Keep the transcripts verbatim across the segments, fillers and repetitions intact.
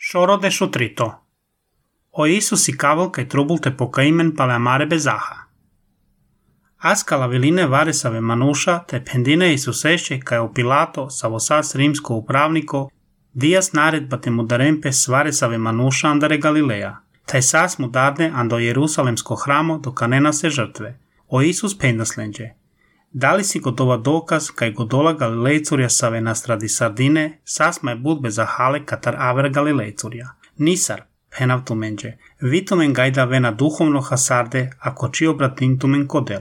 Shoro de Shutrito. O Isus i cavul kaj trubulte pokaimen pale amare bezaha. Askala viline varesave manusha te pendine Isuseše kaj o Pilato savosas rimsko upravniko dias naredba te mudarempe svaresave manusha andare Galileja, taj sas mudarne ando Jerusalemsko hramo do kanena se žrtve. O Isus pendaslenđe. Da li si gotova dokaz kaj godola Galilejcurja save nastradi sardine, sas mai budbe zahale katar aver Galilejcurja. Nisar, penav tumenđe, vitumen gajda vena duhovno hasarde, ako čio bratintumen kodel.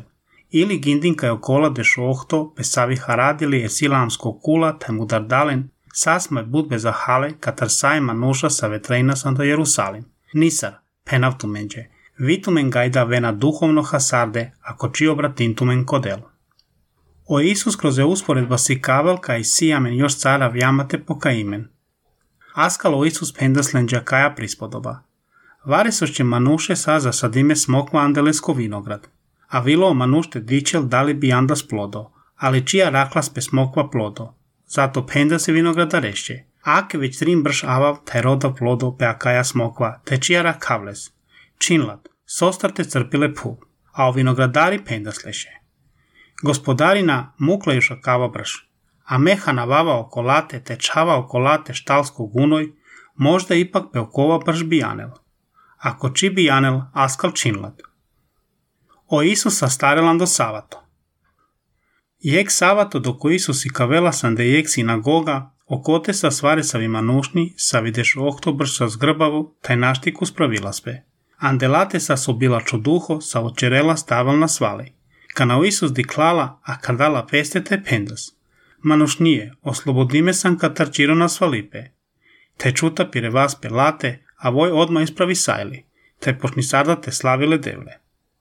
Ili gindin kaj okola deš ohto, pesavi haradili e silamsko kula, taj mudar dalen, sas mai budbe zahale katar saj manuša save trejnas ando Jerusalim. Nisar, penav tumenđe, vitumen gajda vena duhovno hasarde, ako čio bratintumen kodel. O Isus kroz je usporedba si kavel kaj sijamen još cara vjamate pokaimen. Askalo Isus pendaslenđa kaja prispodoba. Varesošće manuše sa zasadime smokva andelesko vinograd, a vilo manušte dičel dali bi andas plodo, ali čija raklas pe smokva plodo. Zato penda se vinograda rešće. Ake već trim brš avav taj roda plodo pe akaja smokva, te čija rakavles. Činlat, sostarte crpile pu, a o vinogradari pendasleše. Gospodarina muklejuša kava brš, a mehana vava okolate te čava okolate štalsko gunoj, možda ipak peokova brš bijanel. Ako či bijanel, askal činlat. O Isus sastarelan do savato. Jek savato doko Isus i kavela sande jek sinagoga, okote sa svaresavi manušni, sa videš ohto brš sa zgrbavu, taj naštiku spravila sve. Andelate sa sobila čuduho, sa očerela staval na svali. Kana o Isus diklala, a kardala pestete pendas. Manušnije, oslobodime sam katar čiro na svalipe. Te čuta pire vas pelate, a voj odma ispravi sajli, te pošni sada te slavile devle.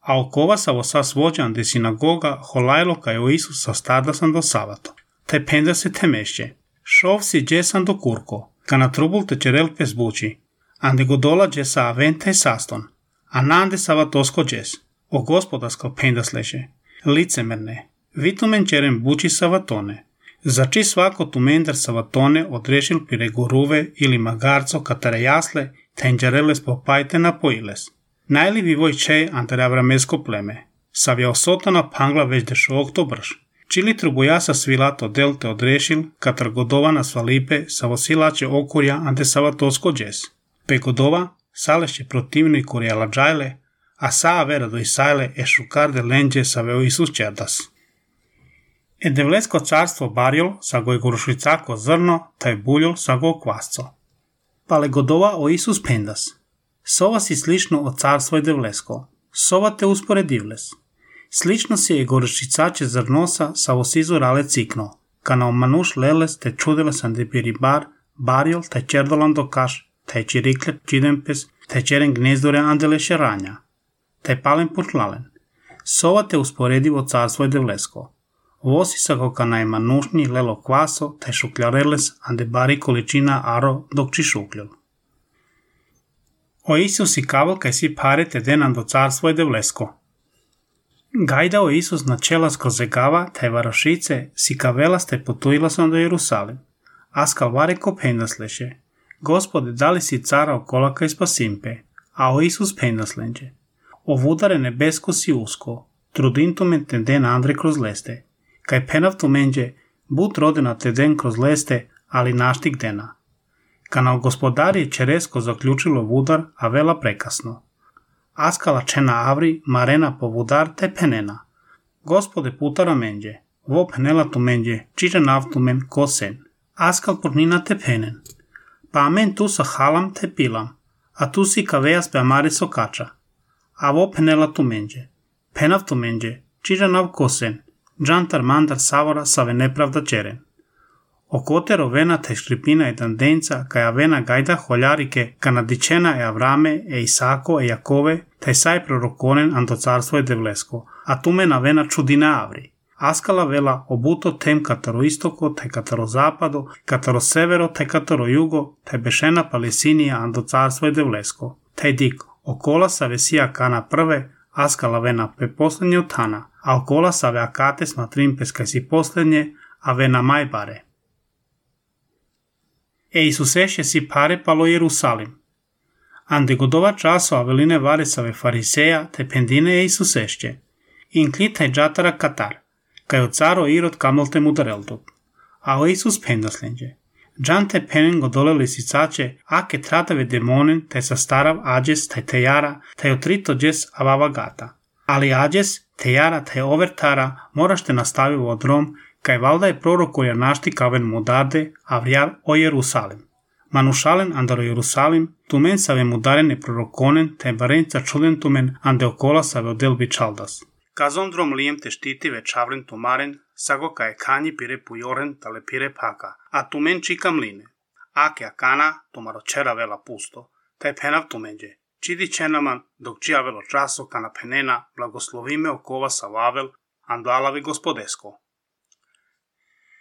A okova sa vosas vođan de sinagoga holajlo kaj o Isus sa stada sam do savato. Te penda se te mešće. Šov si dje sam do kurko, kana trubul te čerel pe zbuči. Ande godola dje sa avente saston, a nande savatosko djes. O gospodarsko penda sleše. Licemerne, vitumen čeren buči savatone. Zači svako tumendar savatone odrešil pire guruve ili magarco katare jasle, tenđareles popajte napojiles. Najli vi voj čej antare avramesko pleme. Savja osotana pangla već dešo okto brš. Čili trubujasa svilato delte odrešil, katar godova na svalipe savosilače okurja ante savatosko džes. Pe godova, salešće protivni kurjala džajle, a saa vera do Isajle e šukarde lenđe sa veo Isus čerdas. E devlesko carstvo barjol sa goj gorušvicako zrno, taj buljol sa go kvasco. Pale godova o Isus pendas. Sova si slično o carstvo je devlesko. Sova te usporedivles. Slično si je gorušvicače zrnosa sa osizu rale cikno. Kana o manuš leles te čudele sam de piribar, barjol taj čerdolan do kaš, taj čirikle čidempes, taj čeren gnezdore andele šeranja. Taj palen putlalen. Sova te usporedivo carstvo je devlesko. Vosi sa ko kana je manušnji lelo kvaso, taj šukljareles ande bari količina aro dok či šukljol. O Isus i kaval kaj si pare te denan do carstvo je devlesko. Gajda o Isus na čela skrozegava, taj varošice si kavelas te potujila sam do Jerusalim. Askal vare ko pendasleše. Gospode, dali si cara okola kaj spasimpe, a o Isus pendaslenđe. Ovudare nebesko si usko, trudintumen te den andre kroz leste, kaj penav tumenđe, but rodena te den kroz leste, ali naštik dena. Kana o gospodari čeresko zaključilo vudar, a vela prekasno. Askala čena avri, marena po vudar te penena. Gospode putara menđe, vo penela tumenđe, čiže navtumen ko sen. Askal purnina te penen. Pa amen tu sa halam te pilam, a tu si kavejas pe amare sokača. A vo penela tumenđe. Penav tumenđe, čiža nav kosen, džantar mandar savora save nepravda čeren. Okotero vena te škripina je dandenca, kaja vena gajda holjarike, kanadičena je Avrame, e Isako, e Jakove, taj saj prorokonen ando carstvo je devlesko, a tumena vena čudina avri. Askala vela obuto tem kataro istoko, taj kataro zapado, kataro severo, taj kataro jugo, taj bešena palesinija ando carstvo je devlesko, taj diko. Okola sa vesija kana prve, askala vena pe poslednje otana, a okola sa ve akate smatrim peskaj si poslednje, a vena majbare. E Isusesce si pare palo Jerusalim. Ande godova časo aveline varesave fariseja te pendine e Isusesce. Inclita e jatara katar, kai o caro Irod kamolte mudareltot. A o Isus pendaslenđe. Jante penen godole lisicace ake tratave demonen te sastarav ađes te tejara te otrito džes avava gata. Ali ađes, tejara te overtara morašte nastavi u odrom, kaj valda je prorokoja našti kaven mudarde, avrial o Jerusalim. Manušalen andaro Jerusalim, tumen save mudarene prorokonen, te barenca čuden tumen ande okola save odelbi čaldas. Kazon drom lijem te štiti ve čavren tumaren, sago ka je kanji pire pujoren tale pire paka, a tumen čika mline. Ake akana, tomaro čera vela pusto, te penav tumenđe. Čidi čenaman, dok čija velo časo kana penena, blagoslovime okova sa vavel, ando alavi gospodesko.